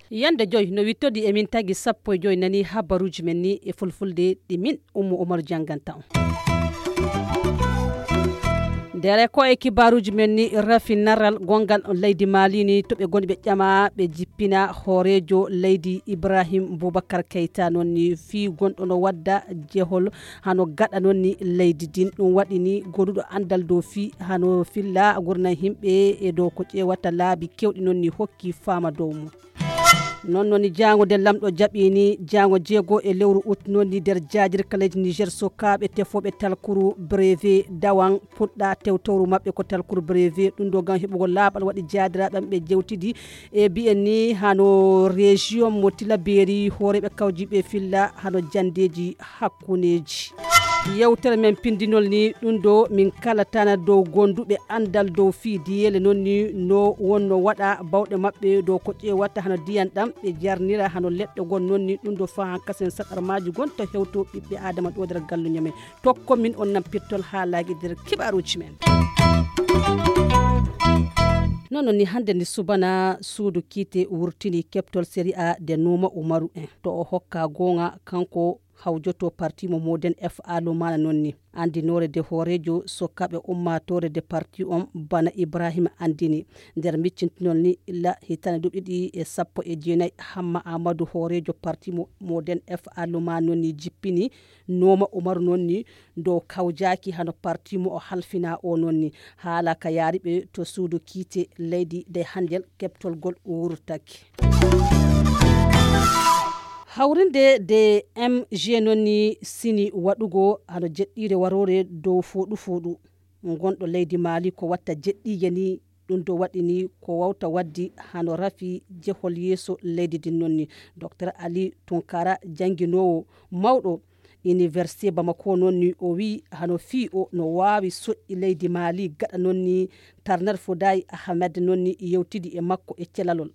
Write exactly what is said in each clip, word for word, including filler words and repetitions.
Yande joy no wittodi e min tagi sappo e joy nani habaruji men ni e fulfulde ɗi min ummu umar janganta on. Ndere ko e kibaruji men ni rafi naral gongal leydi malini to ɓe goni ɓe ƴama ɓe jippina hoorejo leydi ibrahim boubacar keyta noon ni fii gonɗo no wadda jehol hano gaɗa noon ni leydi din ɗum waɗi ni goduɗo andal dow fii hano filla gurna himɓe e dow ko ƴewata laabi kewɗi noon ni hokki faama dow mum. Noon noon ni jaango nde lamɗo jaɓini jaango jeego e lewru ut noon ni nder jaajirkaleeji niger sokaaɓe tefooɓe talkuru brevet dawan puɗɗa tewtowru maɓɓe ko talkuru brevet ɗum ɗo ngam heɓugol laaɓal waɗi jaadiraaɓe am ɓe jewtidi e mbiyen ni hano région mo tilaberi hooreeɓe kawjiiɓe filla hano janndeeji hakkundeeji. Yewtere men pindinol ni ɗum ɗo min kalatana dow gonduɓe andal dow fii diyeele noon ni no wonno waɗa bawɗe maɓɓe dow ko ƴeewata hano diyan ɗam ɓe jarnira hano leɗɗe gon noon ni ɗum ɗo fahan kasen saɗarmaaji gon to hewto ɓiɓɓe adama ɗo nder galluño men. Tokko min on nan pirtol haalaaji nder kibaruuji men. Noon noon ni hannde ni subana suudu kiite wurtini keɓtol série a de nuuma umaru en to o hokka goonga kanko hawjoto parti mo moden f a lumana noon ni anndinoore de hooreejo sokkaɓe ummaatoore de parti on bana ibrahima anndini nder miccintinol ni illa hitande duuɓi ɗiɗi e sappo e jeenayi hamma amadou hooreejo parti mo moden f a lumana noon ni jippini nooma umaru noon ni dow kawjaaki hano parti mo o halfina o noon ni haala ka yaari ɓe to suudu kiite leydi de hanjel keɓtolgol wurtaki. Hawrinde de m g noon ni sini waɗugo hano jeɗɗiire waroore dow fooɗu fooɗu ngonɗo leydi maali ko watta jeɗɗiije ni ɗum ɗo waɗi ni ko wawta waddi hano rafi jehol yeeso leydi din noon ni. Docteur ali tunkara jannginoowo mawɗo université bamako noon ni o wi hano fii o no waawi soƴƴi leydi maali gaɗa noon ni tarnar fodayi ahmed noon ni yewtidi e makko e celalol.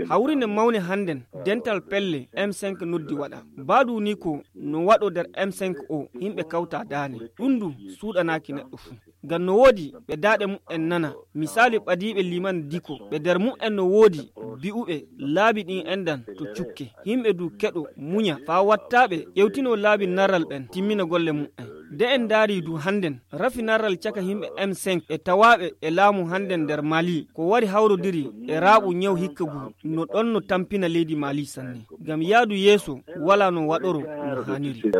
Hawrinde mawne hannden dental pelle m cinq noddi waɗa mbaadu ni ko no waɗo nder m cinq o yimɓe kawta daane ɗum ndu suuɗanaaki neɗɗo fuu. Ngam no woodi ɓe daaɗe mu'en nana misaali ɓadiiɓe liman diko ɓe nder mu'en no woodi bi'uɓe laabi ɗin endan to cukke yimɓe du keɗo muña faa wattaaɓe ƴewtino laabi naral ɓen timmina golle mu'en. De en ndaari du hannden rafi naral caka yimɓe m cinq e tawaaɓe e laamu hannden nder mali ko wari hawrodiri e raaɓu ñaw hikka gu no ɗon no tampina leydi mali sanne. Ngam yaadu yeeso walaa no waɗoro no haaniri.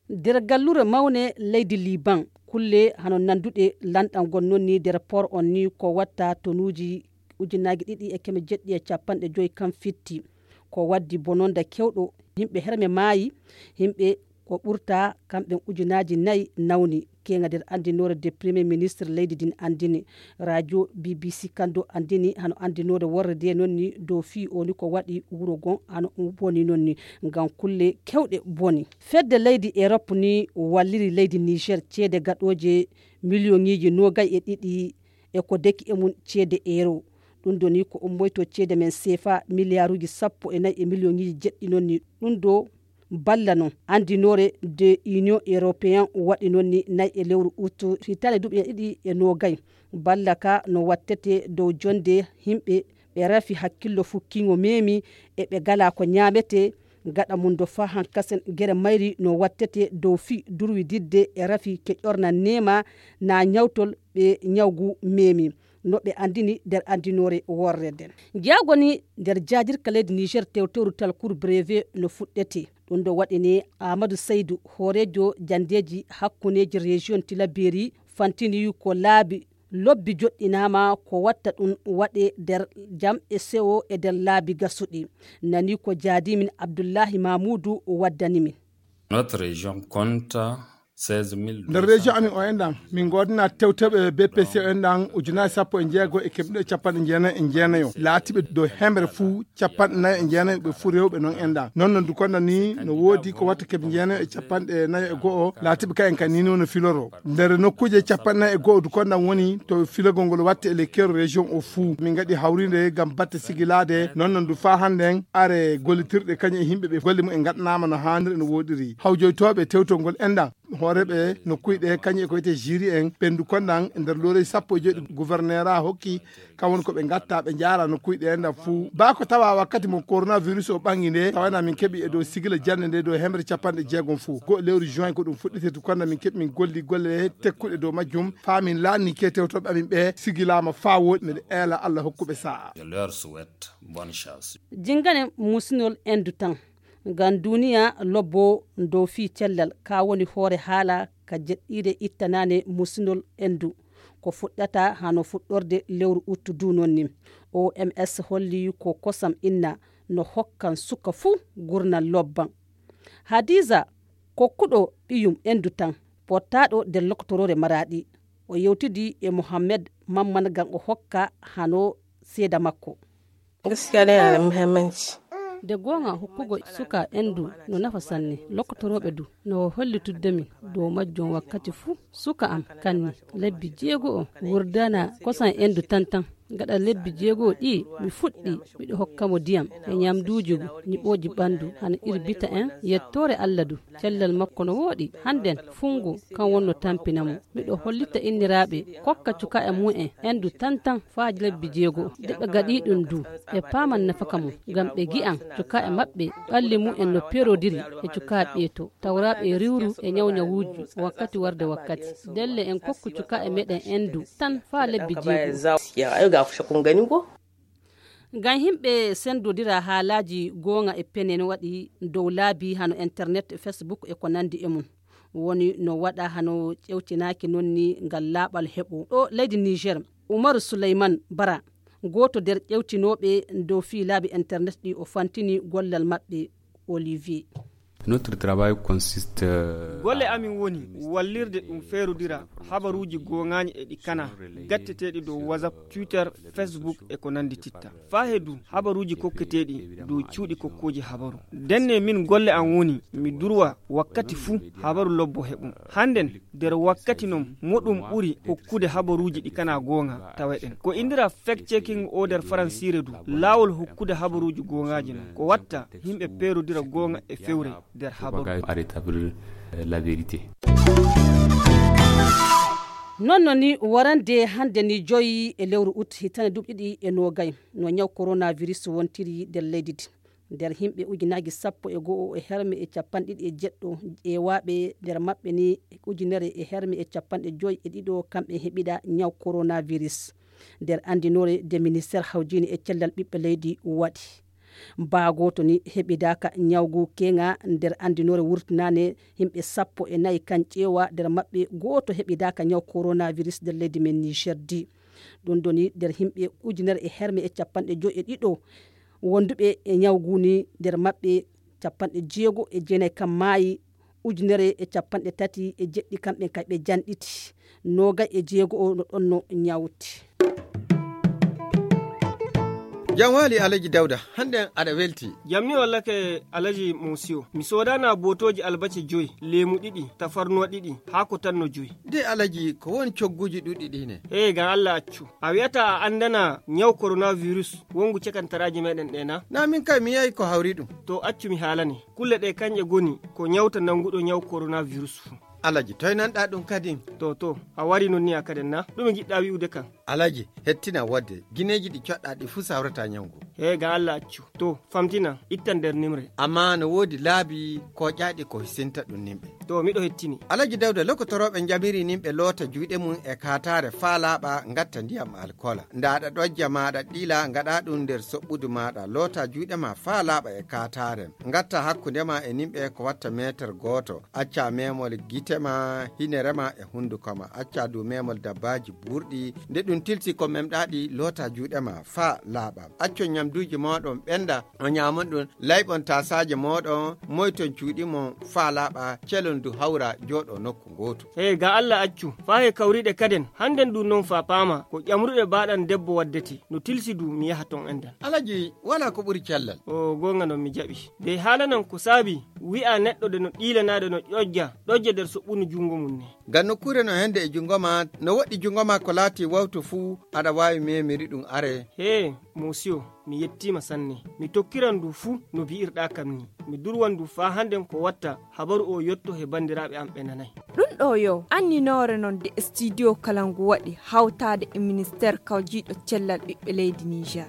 Nder gallure mawne leydi liban kulle hano nanduɗe lanɗangol noon ni nder port on ni ko watta tonuuji ujunaaji ɗiɗi e keme jeɗɗi e capanɗe joyi kam fitti ko waddi bononda kewɗo yimɓe herme maayi yimɓe ko ɓurta kamɓe ujunaaji nayi nawni keŋa nder anndinoore de premier ministre leydi ndin anndini radio bbc kandu anndini hano anndinoore worre nde noon ni dow fii o ni ko waɗi wuro gon hano boni noon ni ngam kulle kewɗe boni. Fedde leydi europe ni walliri leydi niger ceede gaɗooje miliyoŋiiji noogay e ɗiɗi e ko deki e mum ceede euro. Ɗum ɗo ni ko ummoyto ceede men sefa miliyaruuji sappo e nayi e miliyoŋiiji jeɗɗi noon ni ɗum ɗo balla noon anndinoore de union européen waɗi noon ni nayi e lewru ut hitaande duuɓi ɗiɗi e noogay. Balla ka no wattete dow jonnde yimɓe ɓe rafi hakkillo fukkiŋo meemi e ɓe ngalaa ko ñaametee. Gaɗa mum do faa hankasen gere mayri no wattete dow fii durwididde e rafi ke ƴornan neema naa ñawtol ɓe ñawgu meemi. No ɓe anndini nder anndinoore worre nden. Njaago ni nder jaajirka leydi niger tewtewru talkuru brevet no fuɗɗete. Ɗum ɗo waɗi ni amadou saydou hooreejo janndeeji hakkundeeji région tilaberi fantini ko laabi lobbi joɗɗinaama ko watta ɗum waɗe nder jam e sewo e nder laabi gasuɗi. Nani ko jaadimin abdullahi mamoudou waddani min. Notre région compte Nder région amin o enɗan min ngoodana tewteɓe bpc o enɗan ujunaaji sappo e jeego e kemɗe ɗiɗo e capanɗe jeenayi e jeenayo laatiɓe dow hemre fuu capanɗe nayo e jeenayo ɓe fuu rewɓe non enɗan non no dukonda ni no woodi ko watta keɓe jeenayo e capanɗe nayo e go'o laatiɓe ka en ka ni no filoro nder nokkuuje capanɗe nayo e go'o dukonda woni to filagol ngol watte e lekkero région o fuu min ngaɗi hawrinde ngam batte sigilaade non no ndu faa hannden are gollitirɗe kañum e yimɓe ɓe golle mum en ngaɗanaama no haaniri no woɗiri hawjoytooɓe tewtol ngol enɗan hooreeɓe nokkuuji ɗe kañum e ko wiyetee jiri en ɓenndu kondan e nder looreeji sappo e joyɗi gouverneur a hokki kam woni ko ɓe ngatta ɓe njaara nokkuuji ɗe enɗan fuu baa ko tawa wakkati mo coronavirus o ɓanngi nde tawana min keɓi e dow sigila jannde nde dow hemre capanɗe jeegom fuu go lewru juin ko ɗum fuɗɗitirtu kondan min keɓi min golli golle tekkuɗe dow majjum faa min laanni ke tewtoɓe amin ɓe sigilaama faa woɗi miɗo eela allah hokkuɓe sa'a. Jingane musinol endu tan ngam duniya lobbo dow fii cellal ka woni hoore haala ka jeɗɗiire ittanane musinol endu ko fuɗɗata hano fuɗɗorde lewru uttu du non ni oms holli ko kosam inna no hokkan suka fuu gurnal lobban hadiza kokkuɗo ɓiyum endu tan pottaɗo nder lokotoroore maraɗi o yewtidi e mohammed mamman ngam o hokka hano seeda makko. Gaskiya dai yana da muhimmanci. De goonga hokkugo suka endu no nafa sanne lokkotorooɓe du no hollitudde min dow majjum wakkati fuu suka am kanni lebbi jeego o wurdana kosan endu tantan gaɗa lebbi jeego ɗi mi fuɗɗi miɗo hokka mo diyam e nyamduuji nyiɓooji ɓandu hana irbita en yettoore allah du cellal makko no wooɗi hannden fungo kan wonno tampina mo miɗo hollita inniraaɓe kokka cuka e mu'en endu tantan faa lebbi jeego de ɓe gaɗi ɗum du ɓe paaman nafaka mum ngam ɓe gi'an cuka e maɓɓe ɓalli mu'en no perodiri e cuka ɓeeto tawra ɓe riwru e nyawnyawuuji wakkati warde wakkati delle en kokku cuka e meɗen endu tan faa lebbi jeego. Ngam yimɓe senndodira haalaaji goonga e pene no waɗi dow laabi hano internet e facebook e ko nanndi e mum woni no waɗa hano ƴewtinaaki non ni ngal laaɓal heɓo ɗo leydi niger umaru suleyman bara gooto nder ƴewtinooɓe dow fii laabi internet ɗi o fantini gollal maɓɓe olivier. Notre travail consiste. Golle amin woni wallirde ɗum feerodira habaruuji gooŋaaji e ɗi kanaa gatteteeɗi dow whatsapp twitter facebook e ko nanndititta faa he du habaruuji kokketeeɗi dow cuuɗi kokkooji habaru ndenne min golle am woni mi durwa wakkati fuu habaru lobbo heɓum hannden nder wakkati non moɗum ɓuri hokkude habaruuji ɗi kanaa gooŋa taweɗen ko inndiraa fact checking o nder faransiire du laawol hokkude habaruuji gooŋaaji non ko watta yimɓe peerodira gooŋa e fewre nder habaru. Non no ni warande hannde ni joyi e lewru ut hitande duuɓi ɗiɗi e noogay no ñaw coronavirus wontiri nder leydi din nder himɓe ujunaaji sappo e go'o e herme e capanɗe ɗiɗi e jeɗɗo ƴeewaaɓe nder maɓɓe ni ujunere e herme e capanɗe joyi e ɗiɗo kamɓe heɓida ñaw coronavirus nder anndinoore nde ministeer hawjini e cellal ɓiɓɓe leydi waɗi baa gooto ni heɓidaaka ñawgu keeŋa nder anndinoore wurtinaande yimɓe sappo e nayi kan ƴeewa nder maɓɓe gooto heɓidaaka ñaw coronavirus nder leydi men niger di ɗum ɗoni nder yimɓe ujunere e herme e capanɗe joyi e ɗiɗo wonduɓe e ñawgu ni nder maɓɓe capanɗe jeego e jeenayi kan maayi ujunere e capanɗe tati e jeɗɗi kamɓe kay ɓe janɗiti noogay e jeego o no ɗonno ñawti. Jam waali alaji dawda hannden aɗa welti. Jam ni wallake alaji mosiyo mi soodana bootooji albace joyi leemu ɗiɗi tafarnuwa ɗiɗi haa ko tanno joyi. De alaji ko won cogguuji ɗuɗɗi ɗi ne. Hee ngam allah accu a wi'ata a anndana ñaw koronavirus wonngu cakantaraaji meeɗen ɗe na. Na min kay mi yi'aay ko hawri ɗum. To accu mi haalane. Kulle ɗee kañƴe ngoni ko ñawta nannguɗo ñaw koronavirus fuu. Alaji toy nanɗaa ɗum kadin. To to a warii non ni a kaden na ɗume ngiɗɗaa wi'ude kam. Alaji hettina wodde gineeji ɗi coɗɗaa ɗi fuu sawrataa ñaw ngu. Hee ngam allah accu. To famtinan ittan nder nimre. Ammaa no woodi laabi kooƴaaɗi ko hisinta ɗum nimɓe. To miɗo hettini. Alaji Dawda lokotorooɓe njamirii nimɓe loota juuɗe mum e kaataare faa laaɓa ngatta ndiyam alkoola. Ndaaɗa ɗojja maaɗa ɗiila ngaɗaa ɗum nder soɓɓudu maaɗa lootaa juuɗe maa faa laaɓa e kaataare. Ngattaa hakkunde maa e nimɓe ko watta meeter gooto. Accaa meemol gite maa, hinere maa e hunnduko maa. Accaa duu meemol dabbaaji buurɗi. Nde ɗum Tilsi ko memɗaaɗi loota juuɗe ma faa laaɓa. Accon ñamduuji mooɗon ɓenda, o ñaamon ɗum, layɓon taasaaje mooɗon, moyton cuuɗi mon faa laaɓa, celon du hawra jooɗo nokku ngootu. Hey, ga Alla accu, faa he kawriiɗe kaden, hannden ɗum non faa paama, ko ƴamruɗe baaɗan debbo waddete, no tilsi du mi yaha ton endan. Alaji, walaa ko ɓuri cellal. O goonga non mi jaɓi. De haalanan ko saabi, wi'a neɗɗo de no ɗiilanaade no ƴoƴja, ɗoƴja nder soɓɓunu junngo mum ne. Ngam nokkuure no hende e junngo ma, no woɗɗi junngo ma ko laati wawtu fuu, aɗa waawi memiri ɗum are. Hee, Mosiyo, mi yettiima sanne. Mi tokkiran ndu fuu no bi'irɗaa kam ni. Mi durwan ndu faa hannden ko watta habaru o yotto he banndiraaɓe am ɓe nanay. Ɗum ɗo yo anninoore non de studio kala ngu waɗi hawtaade e ministeer kawjiiɗo cellal ɓiɓɓe leydi Niger.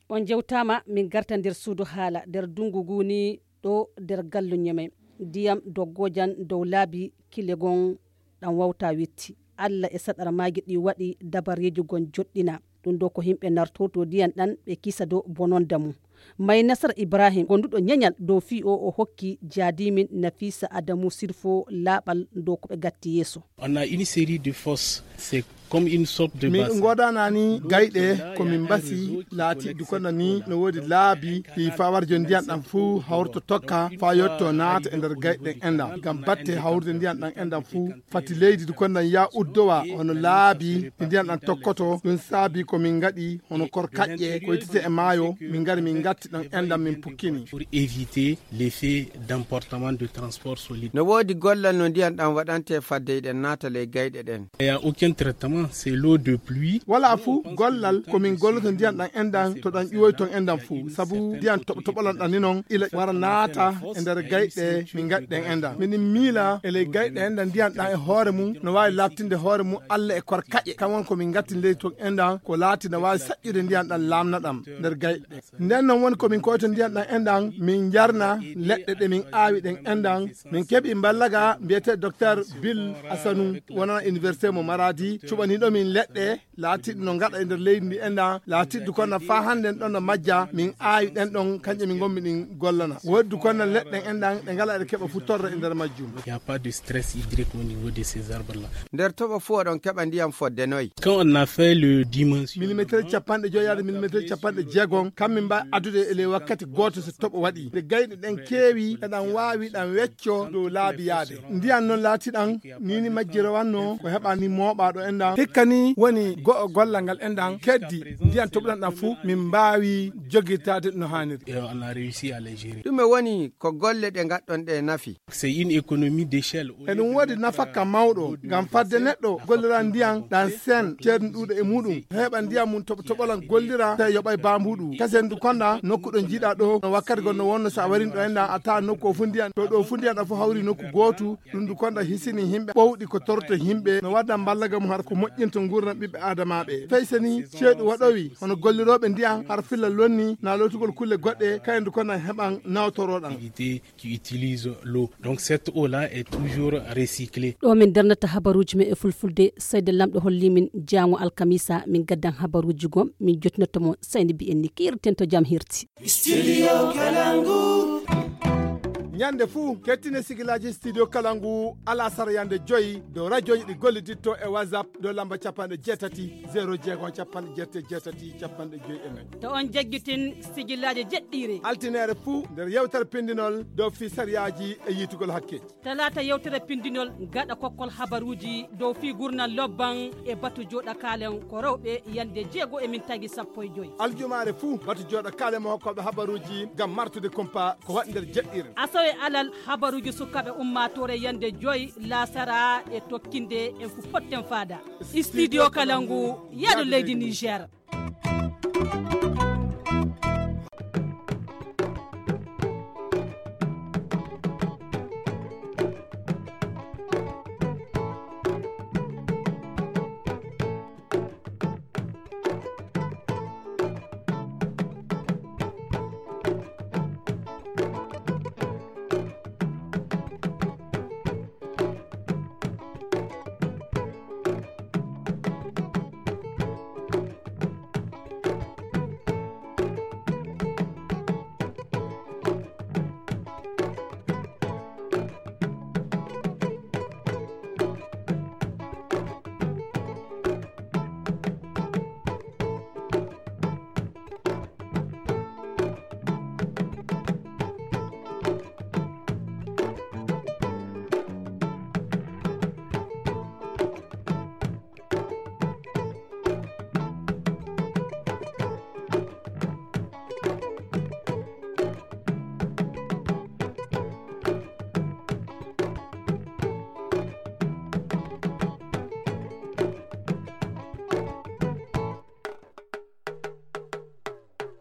On njewtaama, min garta nder suudu haala, nder dunngu ngu ni ɗo nder gallu Ñeme. Ndiyam doggojan dow laabi kile gon ɗan wawta witti. Alla e saɗar maagi ɗi waɗi dabareeji gon joɗɗina. Ɗum ɗo ko yimɓe nartoto ndiyan ɗan ɓe kisa dow bononda mum. May Nasar Ibrahim, gonduɗo ñeñal dow fii o, o hokki jaadimin Nafisa Adamu Sirfo laaɓal dow ko ɓe gatti yeeso. On a une série de fosses, c'est comme une sorte de min bassin. Min ngodanani gayɗe ko min mbasi laati du kono ni no woodi laabi ɗi fawarjo ndiyan ɗan fuu hawrto tokka faa yotto naata e nder gayɗe ɗen enɗan. Ngam batte hawrude ndiyan ɗan enɗan fuu fati leydi du kono ya uddowa hono laabi ɗi ndiyan ɗan tokkoto. Ɗum saabi ko min ngaɗi hono kor kaƴƴe ko ittete e maayo, min ngari min ngatti ɗon enɗan min pukkini. Pour éviter l'effet d'emportement de transport solide. No woodi gollal no ndiyan ɗan waɗante fadde eɗen naata ley gayɗe ɗen. Il y a aucun traitement, c'est l'eau de pluie. Wala fuu gollal ko min golloto ndiyan ɗan enɗan to ɗan ƴuwoy ton enɗan fuu. Sabu ndiyan toɓo toɓolan ɗan ni non ila wara naata e nder gayɗe min ngaɗi ɗen enɗan. Minin miila e ley gayɗe enɗan ndiyan ɗan e hoore mum no waawi laaɓtinde hoore mum Alla e kor kaƴe. Kan won ko min ngatti ley ton enɗan ko laati no waawi saƴƴude ndiyan ɗan laamna ɗam nder gayɗe ɗen. Nden non woni ko min koyta ndiyan ɗan enɗan, min njarna leɗɗe ɗe min aawi ɗen enɗan. Min keɓi mballaga mbiyetee Docteur Bill Asanu, wonana Université mo Maradi, cuɓaniiɗo min leɗɗe laatiiɗe no ngaɗa e nder leydi ndi enɗan, laatiiɗe du kono faa hannden ɗon no majja, min aawi ɗen ɗon, kanƴe min ngonmi ɗin gollana. Woodi du kono leɗɗe ɗen enɗan, ɗe ngala eɗe keɓa fuu torra e nder majjum. Il y a pas de stress hydrique au niveau de ces arbres-là. Nder toɓo fuu oɗon keɓa ndiyan fodde noy? Quand on a fait le dimension. Millimetre capanɗe joyi yaade millimetre capanɗe jeegom, kam min mbaawi addude e ley wakkati gooto so toɓo waɗi. Nde gayɗe ɗen keewi, eɗan waawi ɗan wecco dow laabi yaade. Ndiyan non laati ɗan, ni ni majjirowannoo ko heɓa ni mooɓaaɗo enɗan. Hikka ni woni go'o gollal ngal enɗan, keddi ndiyan toɓuɗan ɗan fuu, min mbaawi jogitaade no haaniri. Et on a réussi à les gérer. Ɗume woni ko golle ɗe ngaɗɗon ɗe nafi? C'est une économie d'échelle. Eɗum woodi nafakka mawɗo, ngam fadde neɗɗo gollira ndiyan ɗan seen, ceeɗum ɗuuɗo e muɗum, heɓa ndiyan mum toɓo toɓolan gollira, tawi yoɓay baambuɗu. Kasen du konɗa, nokku ɗo jiiɗa ɗo, no wakkati gonno wonno sa warin ɗo enɗan, a tawa nokku o fu ndiyan, to ɗo fu ndiyan ɗa fu hawri nokku gootu, ɗum du konɗa hisini himɓe ɓowɗi ko torto himɓe, no wadda mballaga mum har ko moƴƴinta nguurndam ɓiɓɓe aadamaaɓe. Fay seni ceeɗu waɗowi, hono gollirooɓe ndiyan, har filla lonni, na lootugol kulle goɗɗe, kayen du konɗa heɓan nawtoroɗan. Qui utilise l'eau. Donc cette eau-là est toujours recyclée. Ɗo min darnata habaruuji men e fulfulde, seyde Lamɗo holli min jaango alkamisa, min gaddan habaruuji gom, min jottinotto mo sayni mbiyen ni kiirten to jam hirti. Studio Kalangu. Ñande fuu, kettine sigilaaji Studio Kalangu, alasara yande joyi, dow rajoji ɗi golliditto e WhatsApp, dow lamba capanɗe jeetati, zéro jeegom, capanɗe jeetati, jeetati, capanɗe joyi e nayi. To on jaggitin sigilaaji jeɗɗiire. Altineere fuu nder yewtere pindinol dow fii sariyaaji e yiitugol hakkeeji. Talaata yewtere pindinol gaɗa kokkol habaruuji dow fii gurnal lobban e batu jooɗa kaalen ko rewɓe yande jeego e min tagi sappo e joyi. Aljumaare fuu batu jooɗa kaalen mo hokkooɓe habaruuji ngam martude kumpa ko waɗi nder jeɗɗiire. Asawe alal habaruuji sukaaɓe ummaatoore yande joyi laasara e tokkinde en fu potten faada. Studio Kalangu, yaadu leydi Niger.